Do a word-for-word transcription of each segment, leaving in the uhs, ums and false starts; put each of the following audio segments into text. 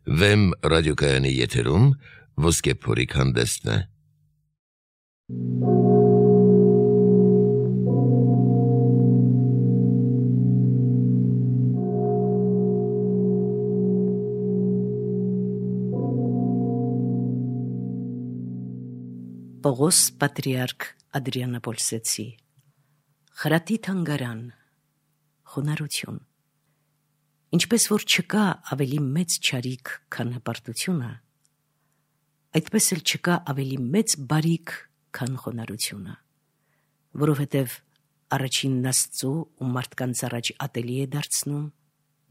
Վեմ ռադիոկայանի եթերում ոսկե փորիկ հանդեսն է։ Պողոս պատրիարք Ադրիանապոլսեցի խրատի թանգարան խոնարհություն ինչպես որ չկա ավելի մեծ չարիք, քան հպարտությունը, այդպես էլ չկա ավելի մեծ բարիք, քան խոնարհությունը, որովհետև առաջինն Աստծու ու մարդկանց առաջ ատելի է դարձնում,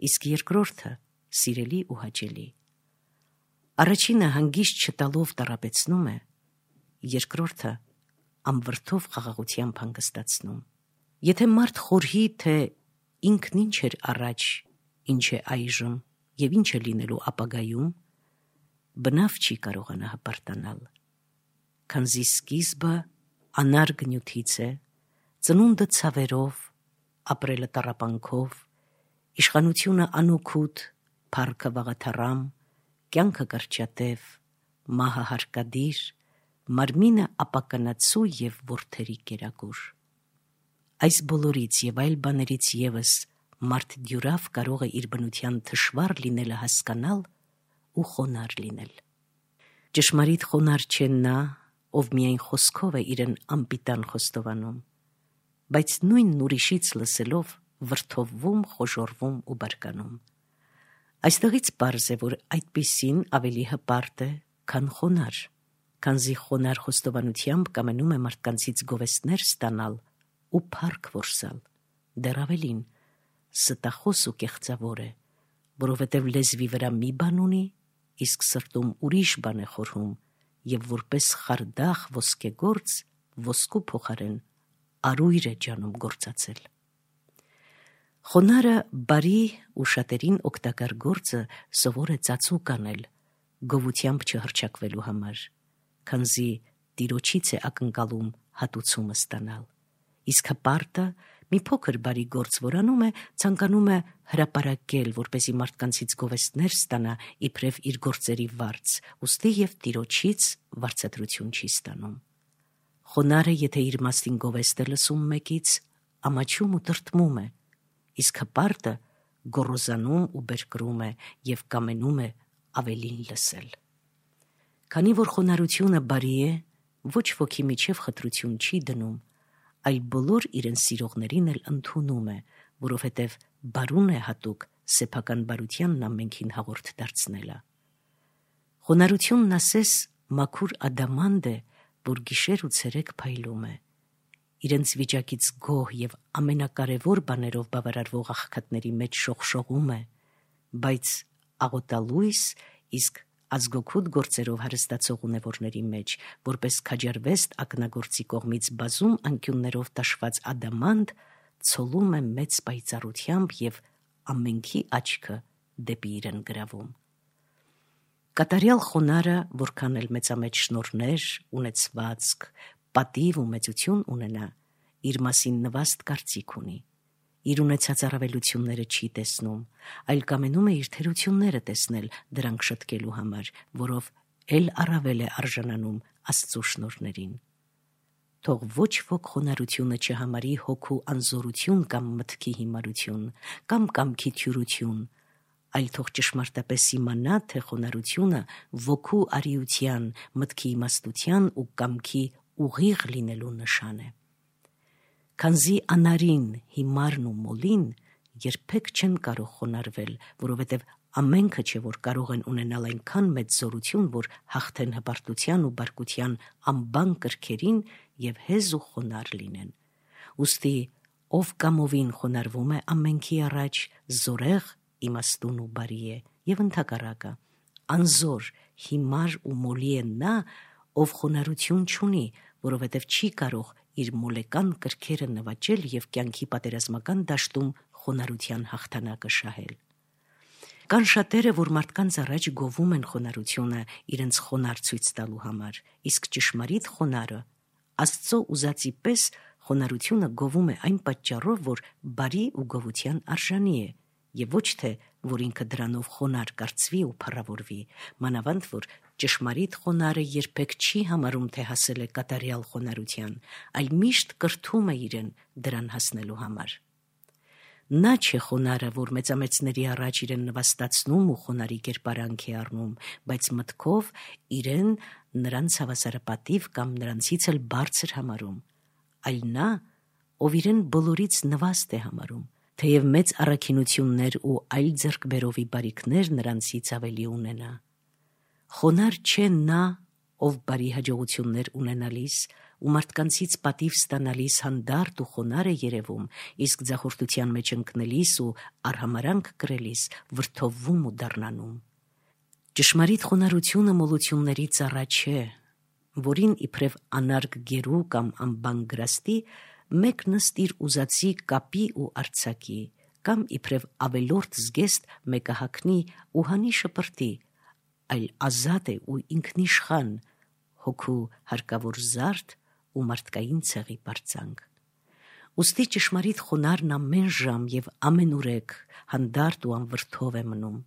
իսկ երկրորդը սիրելի ու հաճելի։ Առաջինը հանգիստ չտալով տառապեցնում է, երկրորդը ամվրդով խաղաղությամբ հանգստացնում։ Եթե մարդ խորհի, թե ինքն ինչ էր առաջ, ինչ է այժմ և ինչ է լինելու ապագայում, բնավ չի կարողանա հպարտանալ, քանզի սկիզբը անարգ նյութից է, ծնունդը ցավերով, ապրելը տառապանքով, իշխանությունը անօգուտ, փառքը վաղաթառամ, կյանքը կրճատև, մահը հարկադիր, մարմինը ապականացու և որդերի կերակուր։ Այս բոլորից և այլ բաներից ևս մարդ դյուրավ կարող է իր բնության թշվառ լինելը հասկանալ ու խոնարհ լինել։ Ճշմարիտ խոնարհ չէ նա, ով միայն խոսքով է իրեն անպիտան խոստովանում, բայց նույնն ուրիշից լսելով վրդովվում, խոժոռվում ու բարկանում։ Այստեղից պարզ է, որ այդպիսին ավելի հպարտ է, քան խոնարհ, քանզի խոնարհ խոստովանությամբ կամենում է մարդկանցից գովեստներ ստանալ ու փառք որսալ, դեռ ավելին, ստախոս ու կեղծավոր է, որովհետև լեզվի վրա մի բան ունի, իսկ սրտում ուրիշ բան է խորհում, և որպես խարդախ ոսկեգործ ոսկու փոխարեն արույր է ջանում գործածել։ Խոնարհը բարի ու շատերին օգտակար գործը սովոր է ծածուկ անել, գովությամբ չհռչակվելու համար, քանզի Տիրոջից է ակնկալում հատուցումը ստանալ, իսկ հպարտը մի փոքր բարի գործ որ անում է, ցանկանում է հրապարակել, որպեսզի մարդկանցից գովեստներ ստանա իբրև իր գործերի վարձ, ուստի և Տիրոջից վարձատրություն չի ստանում։ Խոնարհը, եթե իր մասին գովեստ է լսում մեկից, ամաչում ու տրտմում է, իսկ հպարտը գոռոզանում ու բերկրում է և կամենում է ավելին լսել։ Քանի որ խոնարհությունը բարի է, ոչ ոքի միջև խտրություն չի դնում, այլ բոլոր իրեն սիրողներին էլ ընդունում է, որովհետև բարուն է հատուկ սեփական բարությանն ամենքին հաղորդ դարձնելը։ Խոնարհությունն ասես մաքուր ադամանդ է, որ գիշեր ու ցերեկ փայլում է, իրենց վիճակից գոհ և ամենակարևոր բաներով բավարարվող աղքատների մեջ շողշողում է, բայց աղոտալույս, իսկ ազգօգուտ գործերով հարստացող ունևորների մեջ, որպես քաջարվեստ ակնագործի կողմից բազում անկյուններով տաշված ադամանդ, ցոլում է մեծ պայծառությամբ և ամենքի աչքը դեպի իրեն գրավում։ Կատարյալ խոնարհը, որքան էլ մեծամեծ շնորհներ, ունեցվածք, պատիվ ու մեծություն ունենա, իր մասին նվաստ կարծիք ունի, իր ունեցած առավելությունները չի տեսնում, այլ կամենում է իր թերությունները տեսնել դրանք շտկելու համար, որով էլ առավել է արժանանում Աստծու շնորհներին։ Թող ոչ ոք խոնարհությունը չհամարի հոգու անզորություն կամ մտքի հիմարություն, կամ կամքի թյուրություն, այլ թող ճշմարտապես իմանա, թե խոնարհությունը ոգու արիության, մտքի իմաստության ու կամքի ուղիղ լինելու նշան է։ Քանզի անարին, հիմարն ու մոլին երբեք չեն կարող խոնարհվել, որովհետև ամենքը չէ, որ կարող են ունենալ այնքան մեծ զորություն, որ հաղթեն հպարտության ու բարկության անբան կրքերին և հեզ ու խոնարհ լինեն։ Ուստի ով կամովին խոնարհվում է ամենքի առաջ, զորեղ, իմաստուն ու բարի է, և ընդհակառակը, անզոր, հիմար ու մոլի է նա, ով խոնարհություն չունի, որովհետև չի կարող իր մոլեկան կրքերը նվաճել և կյանքի պատերազմական դաշտում խոնարհության հաղթանակը շահել։ Կան շատերը, որ մարդկանց առաջ գովում են խոնարհությունը իրենց խոնարհ ցույց տալու համար, իսկ ճշմարիտ խոնարհը Աստծո ուզածի պես խոնարհությունը գովում է այն պատճառով, որ բարի ու գովության արժանի է եւ ոչ թե որ ինքը դրանով խոնար կարծվի ու փառավորվի, մանավանդ որ ճշմարիտ խոնարը երբեք չի համարում, թե հասել է կատարյալ խոնարհության, այլ միշտ կրթում է իրեն դրան հասնելու համար։ Նա չէ խոնարը, որ մեծամեծների առաջ իրեն նվաստացնում ու խոնարի կերպարանք է առնում, բայց մտքով իրեն նրանց հավասարապատիվ կամ նրանցից էլ բարձր համարում, այլ նա, ով իրեն բոլորից նվաստ է համարում, թեև մեծ առաքինություններ ու այլ ձեռքբերովի բարիքներ նրանցից ավելի ունենա։ Խոնար չէ նա, ով բարի հաջողություններ ունենալիս ու մարդկանցից պատիվ ստանալիս հանդարտ ու խոնար է երևում, իսկ ձախորդության մեջ ընկնելիս ու արհամարանք կրելիս վրդովվում ու դառնանում։ Ճշմարիտ խոնարհությունը մոլությունների ծառա չէ, որին իբրև անարգ գերու կամ անբան գրաստի մեկ նստիր ուզածի կապի ու արցակի, կամ իբրև ավելորդ զգեստ մեկը հագնի ու հանի շպրտի, այլ ազատ է ու ինքնիշխան, հոգու հարկավոր զարդ ու մարդկային ցեղի պարծանք։ Ուստի ճշմարիտ խոնարհն ամեն ժամ եւ ամենուրեք հանդարտ ու անվրդով է մնում,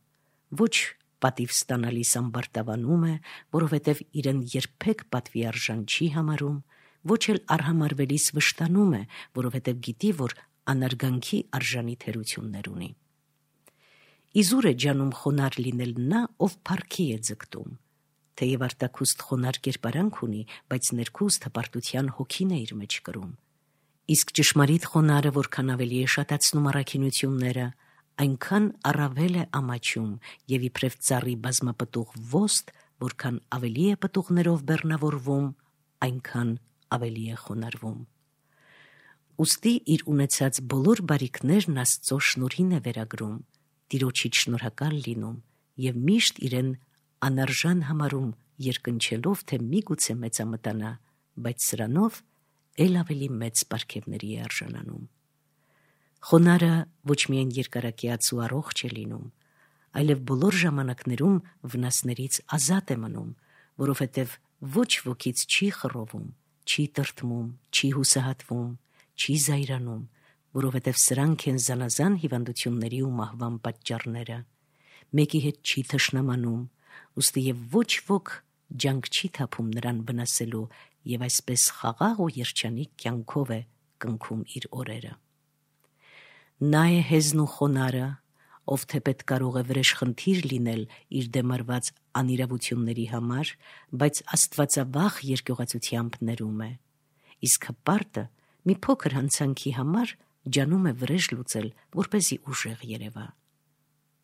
ոչ պատիվ ստանալիս ամբարտավանում է, որովհետև իրեն երբեք պատվի արժան չի համարում, ոչ էլ արհամարվելիս վշտանում է, որովհետև գիտի, որ անարգանքի արժանի թերություններ ունի։ Իզուր է ջանում խոնար լինել նա, ով փառքի է ձգտում, թեև արտաքուստ խոնար կերպարանք ունի, բայց ներքուստ հպարտության հոգին է իր մեջ կրում։ Իսկ ճշմարիտ խոնարը որքան ավելի է շատացնում առաքինությունները, այնքան առավել է ամաչում եւ իբրև ծառի բազմապտուղ ոստ, որքան ավելի է պտուղներով բեռնավորվում, այնքան ավելի է խոնարհվում։ Ուստի իր ունեցած բոլոր բարիքներն Աստծո շնորհին է վերագրում, Տիրոջից շնորհակալ լինում եւ միշտ իրեն անարժան համարում, երկնչելով, թե միգուցե մեծամտանա, բայց սրանով ել ավելի մեծ պարգևների է արժանանում։ Խոնարը ոչ միայն երկարակյաց ու առողջ է լինում, այլև բոլոր ժամանակներում վնասներից ազատ է մնում, որովհետև ոչ wokից չի խռովում, չի տրտմում, չի հուսահատվում, չի զայրանում, որովհետև սրանք են զանազան հիվանդությունների ու մահվան պատճառները, մեկի հետ չի թշնամանում, ուստի եւ ոչ ոք ջանք չի թափում նրան վնասելու եւ այսպես խաղաղ ու երջանիկ կյանքով է կնքում իր օրերը։ Նա է հեզն ու խոնարը, ով թեպետ կարող է վրեժխնդիր լինել իր դեմ արված անիրավությունների համար, բայց աստվածավախ երկյուղացությամբ ներում է, իսկ հպարտը մի փոքր հանցանքի համար ջանում է վրեժ լուծել, որպեսզի ուժեղ երևա։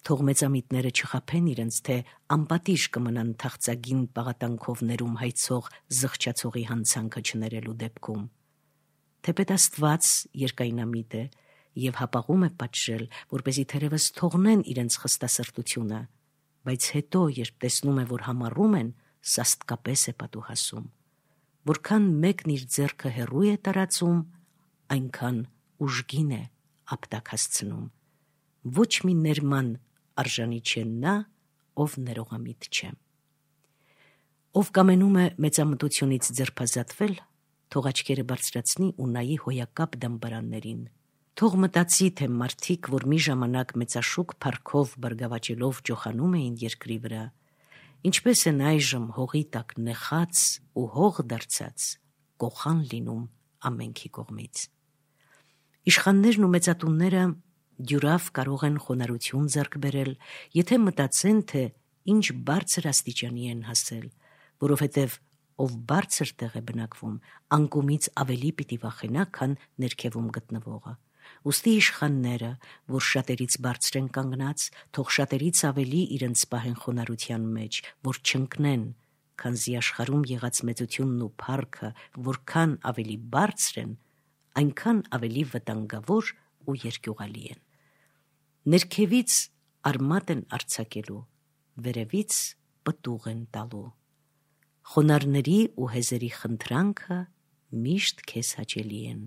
Թող մեծամիտները չխաբեն իրենց, թե անպատիժ կմնան թախծագին պաղատանքով ներում հայցող զղջացողի հանցանքը չներելու դեպքում։ Թեպետ Աստված երկայնամիտ է եւ հապաղում է պատժել, որպեսզի թերևս թողնեն իրենց խստասրտությունը, բայց հետո, երբ տեսնում է, որ համառում են, սաստկապես է պատուհասում։ Որքան մեկն իր ձեռքը հեռու է տարածում, այնքան ուժգին է ապտակ հասցնում։ Ոչ մի ներման արժանի չէ նա, ով ներողամիտ չէ։ Ով կամենում է մեծամտությունից ձերբազատվել, թող աչքերը բարձրացնի ու նայի հոյակապ դամբարաններին։ Թող մտածի, թե մարդիկ, որ մի ժամանակ մեծաշուկ փառքով բարգավաճելով ջոխանում էին երկրի վրա, ինչպես են այժմ հողի տակ նեխած ու հող դարձած, կոխան լինում ամենքի կողմից։ Իշխաններն ու մեծատունները դյուրավ կարող են խոնարհություն ձեռք բերել, եթե մտածեն, թե ինչ բարձր աստիճանի են հասել, որովհետև ով բարձր տեղ է բնակվում, անկումից ավելի պիտի վախենա, քան ներքևում գտնվողը։ Ուստի իշխանները, որ շատերից բարձր են կանգնած, թող շատերից ավելի իրենց պահեն խոնարհության մեջ, որ չընկնեն, քանզի աշխարհում եղած մեծությունն ու փառքը որքան ավելի բարձր են, այնքան ավելի վտանգավոր ու երկյուղալի են։ Ներքևից արմատ են արձակելու, վերևից պտուղ են տալու։ Խոնարհների ու հեզերի խնդրանքը միշտ քեզ հաճելի են։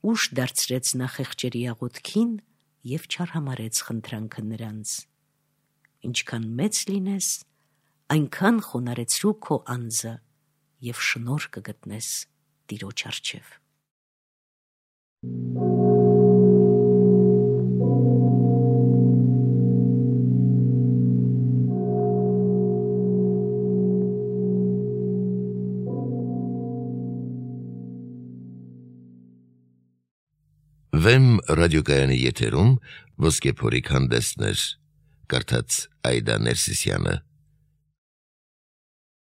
Ուշ դարձրեց նա խեղճերի աղոթքին և չարհամարեց խնդրանքը նրանց։ Ինչքան մեծ լինես, այնքան խոնարհեցրու քո անձը և շնորհ կգտնես Տիրոջ առջև։ Վեմ ռադիոկայանի եթերում Ոսկե փորի հանդեսներ, կարդաց Այդա Ներսիսյանը։